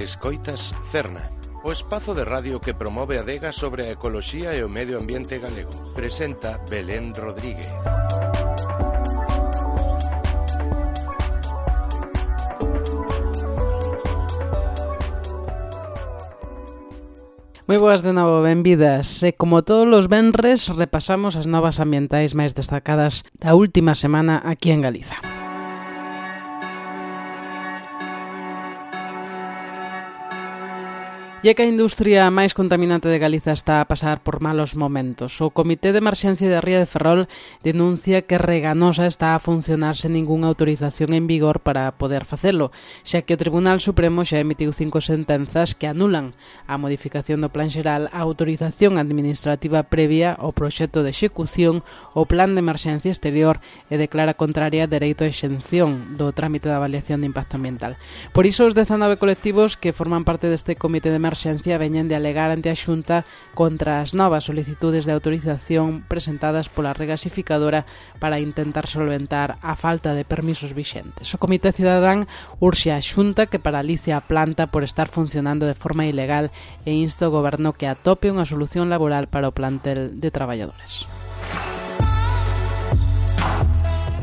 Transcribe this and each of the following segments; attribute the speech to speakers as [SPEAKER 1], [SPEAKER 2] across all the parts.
[SPEAKER 1] Escoitas Cerna, o espazo de radio que promove a adega sobre a ecoloxía e o medio ambiente galego. Presenta Belén Rodríguez.
[SPEAKER 2] Moi boas de novo, benvidas. E como todos os venres, repasamos as novas ambientais máis destacadas da última semana aquí en Galiza. E que a industria máis contaminante de Galiza está a pasar por malos momentos. O Comité de Emerxencia de Ría de Ferrol denuncia que Reganosa está a funcionar sen ningunha autorización en vigor para poder facelo, xa que o Tribunal Supremo xa emitiu 5 sentenzas que anulan a modificación do Plan Xeral, a autorización administrativa previa ao proxecto de execución, o Plan de Emerxencia Exterior e declara contraria dereito a exención do trámite de avaliación de impacto ambiental. Por iso, os 19 colectivos que forman parte deste Comité de Emerxencia veñen de alegar ante a Xunta contra as novas solicitudes de autorización presentadas pola regasificadora para intentar solventar a falta de permisos vixentes. O Comité Cidadán urxe a Xunta que paralice a planta por estar funcionando de forma ilegal e insta ao Goberno que atope unha solución laboral para o plantel de traballadores.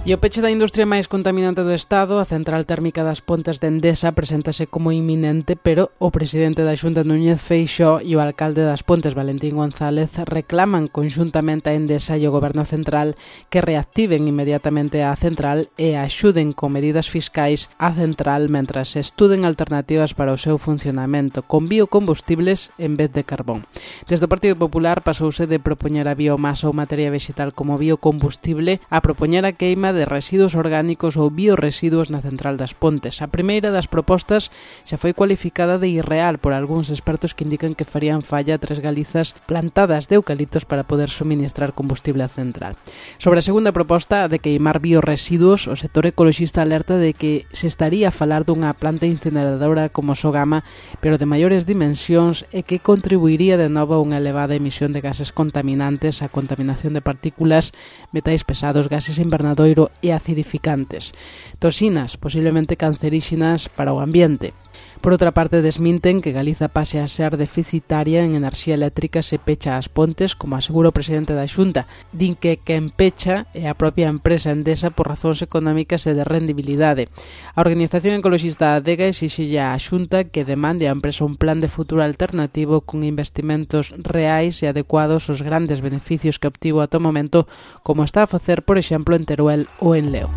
[SPEAKER 2] E o peche da industria máis contaminante do Estado, a central térmica das Pontes de Endesa, preséntase como inminente, pero o presidente da Xunta, Núñez Feixóo, e o alcalde das Pontes, Valentín González, reclaman conxuntamente a Endesa e o Goberno Central que reactiven inmediatamente a central e axuden con medidas fiscais a central mentras se estuden alternativas para o seu funcionamento con biocombustibles en vez de carbón. Desde o Partido Popular pasouse de propoñer a biomasa ou materia vegetal como biocombustible a propoñer a queima de residuos orgánicos ou bioresiduos na central das Pontes. A primeira das propostas xa foi cualificada de irreal por algúns expertos que indican que farían falla 3 galizas plantadas de eucaliptos para poder suministrar combustible á central. Sobre a segunda proposta, a de queimar bioresiduos, o sector ecoloxista alerta de que se estaría a falar dunha planta incineradora como Sogama, pero de maiores dimensións e que contribuiría de novo a unha elevada emisión de gases contaminantes, a contaminación de partículas, metais pesados, gases invernadoiro e acidificantes, toxinas posiblemente canceríxenas para o ambiente. Por outra parte, desminten que Galiza pase a ser deficitaria en enerxía eléctrica se pecha as Pontes, como asegura o presidente da Xunta. Din que quen pecha é a propia empresa Endesa por razóns económicas e de rendibilidade. A organización ecoloxista Adega exixille á Xunta que demande á empresa un plan de futuro alternativo con investimentos reais e adecuados aos grandes beneficios que obtivo ata o momento, como está a facer, por exemplo, en Teruel ou en Leo.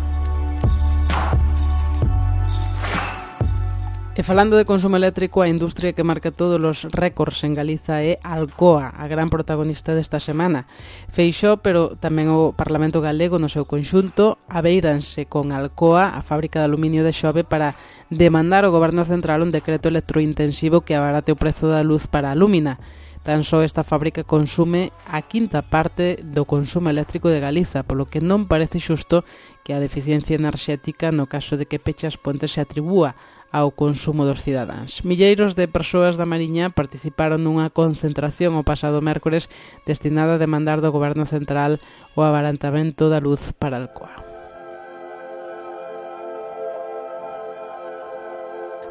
[SPEAKER 2] E falando de consumo eléctrico, a industria que marca todos os récords en Galiza é Alcoa, a gran protagonista desta semana. Feixóo, pero tamén o Parlamento galego no seu conxunto, abeiranse con Alcoa, a fábrica de aluminio de Xove, para demandar ao Goberno Central un decreto electrointensivo que abarate o prezo da luz para a lúmina. Tan só esta fábrica consume a quinta parte do consumo eléctrico de Galiza, polo que non parece xusto que a deficiencia enerxética, no caso de que peche as Pontes, se atribúa ao consumo dos cidadáns. Milleiros de persoas da Mariña participaron nunha concentración o pasado mércores destinada a demandar do Goberno Central o abaratamento da luz para Alcoa.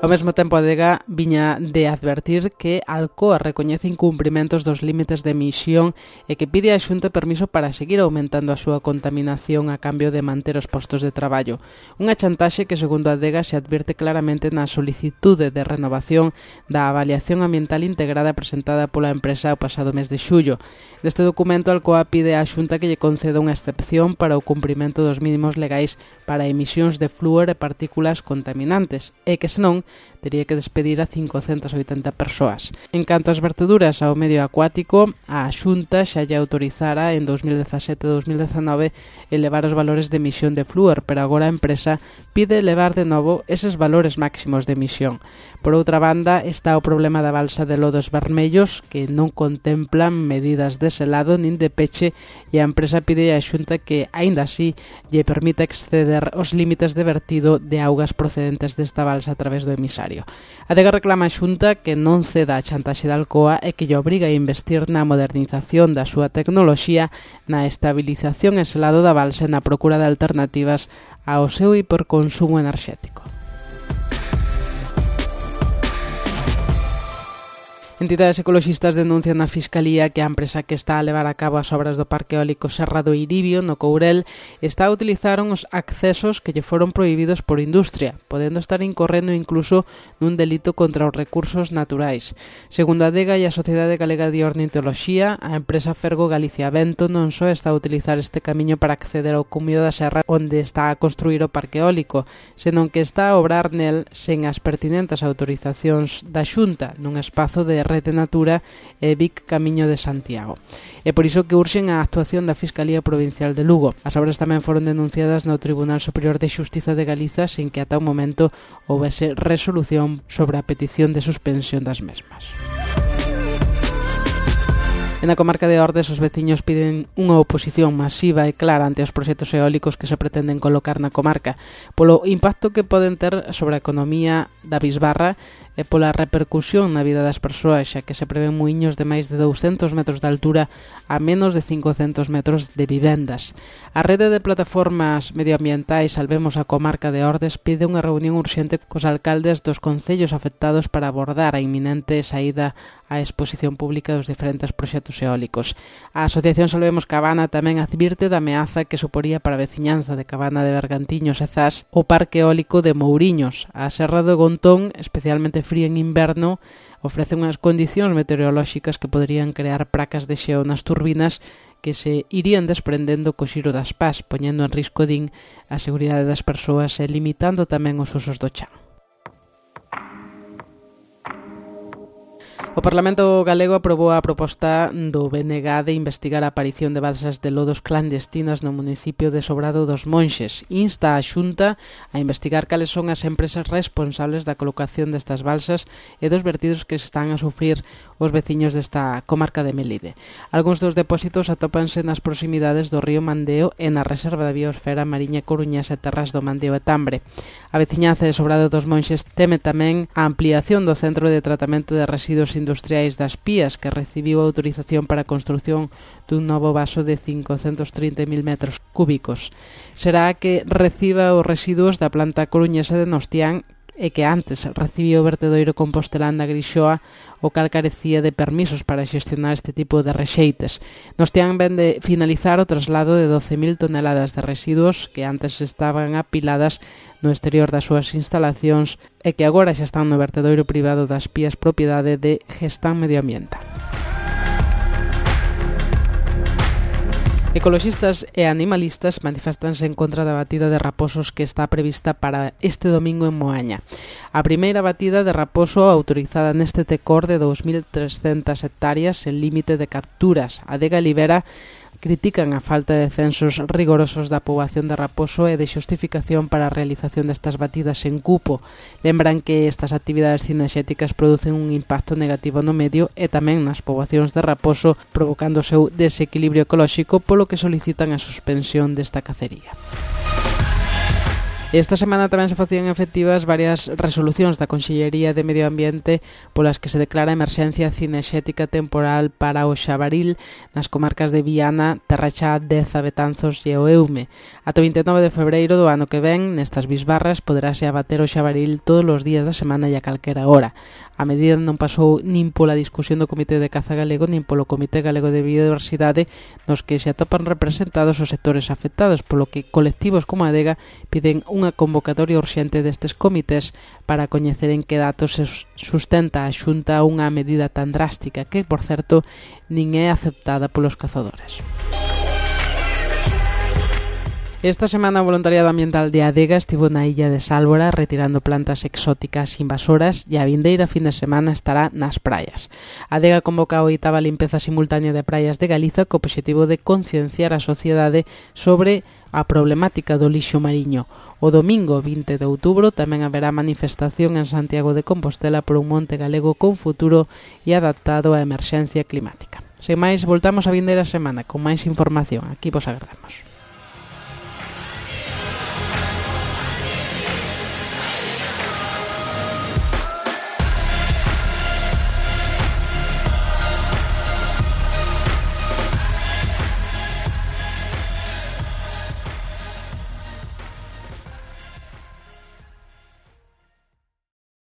[SPEAKER 2] Ao mesmo tempo, a Adega viña de advertir que Alcoa recoñece incumprimentos dos límites de emisión e que pide á Xunta permiso para seguir aumentando a súa contaminación a cambio de manter os postos de traballo. Unha chantaxe que, segundo a Adega, se advirte claramente na solicitude de renovación da avaliación ambiental integrada presentada pola empresa o pasado mes de xullo. Neste documento, Alcoa pide á Xunta que lle conceda unha excepción para o cumprimento dos mínimos legais para emisións de flúor e partículas contaminantes e que, senón, tería que despedir a 580 persoas. En canto ás verteduras ao medio acuático, a Xunta xa lle autorizara en 2017 e 2019 elevar os valores de emisión de flúor, pero agora a empresa pide elevar de novo eses valores máximos de emisión. Por outra banda, está o problema da balsa de Lodos Vermellos, que non contemplan medidas de selado nin de peche, e a empresa pide á Xunta que, aínda así, lle permita exceder os límites de vertido de augas procedentes desta balsa a través do emisario. A Adega reclama a Xunta que non ceda a chantaxe de Alcoa e que lle obriga a investir na modernización da súa tecnoloxía, na estabilización e selado da balsa e na procura de alternativas ao seu hiperconsumo enerxético. Entidades ecoloxistas denuncian na Fiscalía que a empresa que está a levar a cabo as obras do Parque Eólico Serra do Iribio, no Courel, está a utilizar uns accesos que lle foron prohibidos por industria, podendo estar incorrendo incluso nun delito contra os recursos naturais. Segundo a Adega e a Sociedade Galega de Ornitoloxía, a empresa Fergo Galicia Vento non só está a utilizar este camiño para acceder ao cumio da serra onde está a construir o Parque Eólico, senón que está a obrar nel sen as pertinentes autorizacións da Xunta, nun espazo de Rede Natura e Vic Camiño de Santiago. É por iso que urxen a actuación da Fiscalía Provincial de Lugo. As obras tamén foron denunciadas no Tribunal Superior de Xustiza de Galiza sin que ata o momento houbese resolución sobre a petición de suspensión das mesmas. En a comarca de Ordes, os veciños piden unha oposición masiva e clara ante os proxectos eólicos que se pretenden colocar na comarca, polo impacto que poden ter sobre a economía da bisbarra e pola repercusión na vida das persoas, xa que se prevén muiños de máis de 200 metros de altura a menos de 500 metros de vivendas. A rede de plataformas medioambientais Salvemos a Comarca de Ordes pide unha reunión urxente cos alcaldes dos concellos afectados para abordar a inminente saída á exposición pública dos diferentes proxectos eólicos. A Asociación Salvemos Cabana tamén advirte da ameaza que suporía para a veciñanza de Cabana de Bergantiños e Zas o Parque Eólico de Mouriños. A Serra do Gontón, especialmente fría en inverno, ofrece unhas condicións meteorolóxicas que poderían crear placas de xeo nas turbinas que se irían desprendendo co xiro das pás, poñendo en risco, din, a seguridade das persoas e limitando tamén os usos do chan. O Parlamento galego aprobou a proposta do BNG de investigar a aparición de balsas de lodos clandestinas no municipio de Sobrado dos Monxes. Insta a Xunta a investigar cales son as empresas responsables da colocación destas balsas e dos vertidos que están a sufrir os veciños desta comarca de Melide. Algúns dos depósitos atópanse nas proximidades do río Mandeo e na Reserva da Biosfera Mariña Coruñas e Terras do Mandeo e Tambre. A veciñanza de Sobrado dos Monxes teme tamén a ampliación do Centro de Tratamento de Residuos Industriais das Pías, que recibiu autorización para a construción dun novo vaso de 530.000 metros cúbicos. Será que reciba os residuos da planta coruñesa de Nostián e que antes recibiu o vertedoiro compostelán da Grixoa, o cal carecía de permisos para xestionar este tipo de rexeites. Nostián ven de finalizar o traslado de 12.000 toneladas de residuos que antes estaban apiladas no exterior das súas instalacións e que agora xa están no vertedoiro privado das Pías, propiedade de Gestán Medioambiental. Ecoloxistas e animalistas manifestanse en contra da batida de raposos que está prevista para este domingo en Moaña. A primeira batida de raposo autorizada neste tecor de 2.300 hectáreas en límite de capturas. A Adega Libera critican a falta de censos rigorosos da poboación de raposo e de xustificación para a realización destas batidas en cupo. Lembran que estas actividades cinexéticas producen un impacto negativo no medio e tamén nas poboacións de raposo, provocando o seu desequilibrio ecolóxico, polo que solicitan a suspensión desta cacería. Esta semana tamén se facían efectivas varias resolucións da Consellería de Medio Ambiente polas que se declara emerxencia cinexética temporal para o xabaril nas comarcas de Viana, Terrachá, Deza, Betanzos e o Eume. Ata 29 de febreiro do ano que ven, nestas bisbarras, poderase abater o xabaril todos os días da semana e a calquera hora. A medida non pasou nin pola discusión do Comité de Caza Galego nin polo Comité Galego de Biodiversidade, nos que se atopan representados os sectores afectados, polo que colectivos como a Adega piden unha convocatoria urxente destes comités para coñecer en que datos se sustenta a Xunta unha medida tan drástica que, por certo, nin é aceptada polos cazadores. Esta semana o voluntariado ambiental de Adega estivo na illa de Sálvora retirando plantas exóticas invasoras e a vindeira fin de semana estará nas praias. Adega convoca a 8ª limpeza simultánea de praias de Galiza co obxectivo de concienciar a sociedade sobre a problemática do lixo mariño. O domingo 20 de outubro tamén haberá manifestación en Santiago de Compostela por un monte galego con futuro e adaptado á emerxencia climática. Sen máis, voltamos a vindeira semana con máis información. Aquí vos agardamos.